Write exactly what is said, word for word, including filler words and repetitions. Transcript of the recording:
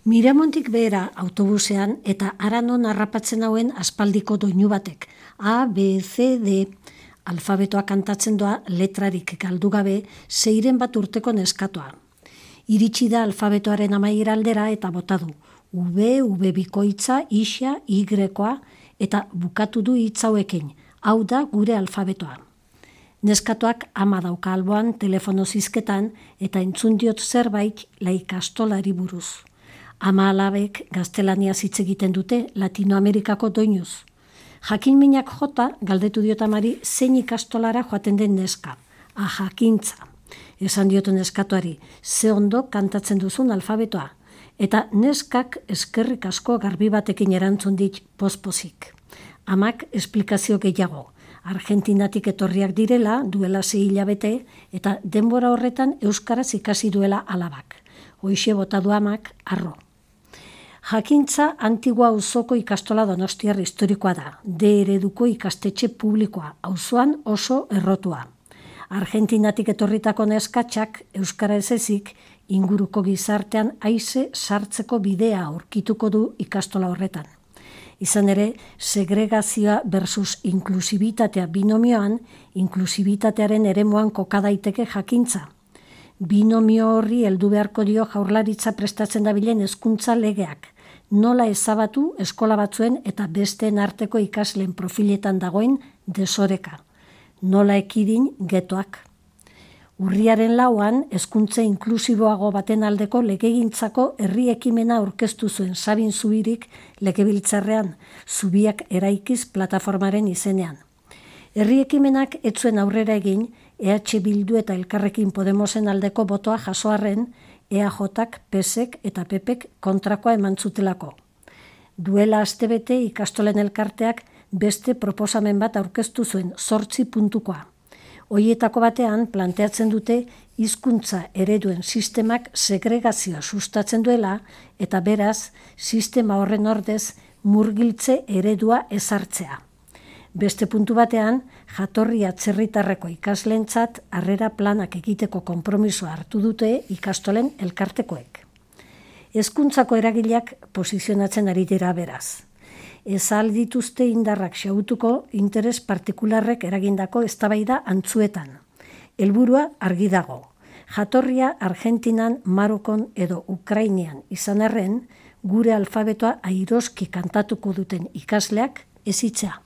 Miramontik behera autobusean eta Aranon harrapatzen hauen aspaldiko doinu batek. A, B, C, D. Alfabetoa kantatzen doa letrarik galdu gabe seiren bat urteko neskatoa. Iritsi da alfabetoaren amaiera aldera eta bota du. V, V bikoitza, Ixa, Y-koa eta bukatu du hitz hauekin. Hau da gure alfabetoa. Neskatoak ama dauka alboan telefono zizketan eta entzun diot zerbait laikastolari buruz. Ama alabek gaztelaniaz hitz egiten dute Latinoamerikako doinuz. Jakin minak jota galdetu diot amari zein ikastolara joaten den neska. A jakintza. Esan diotu neskatuari, ze ondo kantatzen duzun alfabetoa. Eta neskak eskerrik asko garbi batekin erantzun dit pospozik. Amak esplikazio gehiago. Argentinatik etorriak direla, duela sei hilabete, eta denbora horretan euskaraz ikasi duela alabak. Hoixe bota du amak, arro. Jakintza Antigua auzoko ikastola donostiar historikoa da, D ereduko ikastetxe publikoa, auzoan oso errotua. Argentinatik etorritako neskatxak euskara ez ezik, inguruko gizartean haize sartzeko bidea aurkituko du ikastola horretan. Izan ere, segregazioa versus inklusibitatea binomioan, inklusibitatearen eremuan koka daiteke jakintza. Binomio horri heldu beharko dio Jaurlaritza prestatzen dabilen hezkuntza legeak. Nola ezabatu eskola batzuen eta besteen arteko ikasleen profiletan dagoen desoreka. Nola ekidin getoak. Urriaren lauan, hezkuntza inklusiboago baten aldeko legegintzako herri ekimena aurkeztu zuen Sabin Zubirik legebiltzarrean, Zubiak eraikiz plataformaren izenean. Herri ekimenak ez zuen aurrera egin, E H Bildu eta Elkarrekin Podemosen aldeko botoa jasoarren, E A Jk, P S ek eta P Pek kontrakoa eman zutelako. Duela astebete ikastolen elkarteak beste proposamen bat aurkeztu zuen, zortzi puntukoa. Hoietako batean planteatzen dute hizkuntza ereduen sistemak segregazioa sustatzen duela eta beraz sistema horren ordez murgiltze eredua ezartzea. Beste puntu batean, jatorri atzerritarreko ikasleentzat harrera planak egiteko konpromisoa hartu dute ikastolen elkartekoek. Hezkuntzako eragileak posizionatzen ari dira beraz. Ez ahal dituzte indarrak xahutuko interes partikularrek eragindako eztabaida antzuetan. Helburua argi dago. Jatorria Argentinan, Marokon edo Ukrainian izan arren, gure alfabetoa airoski kantatuko duten ikasleak hezitzea.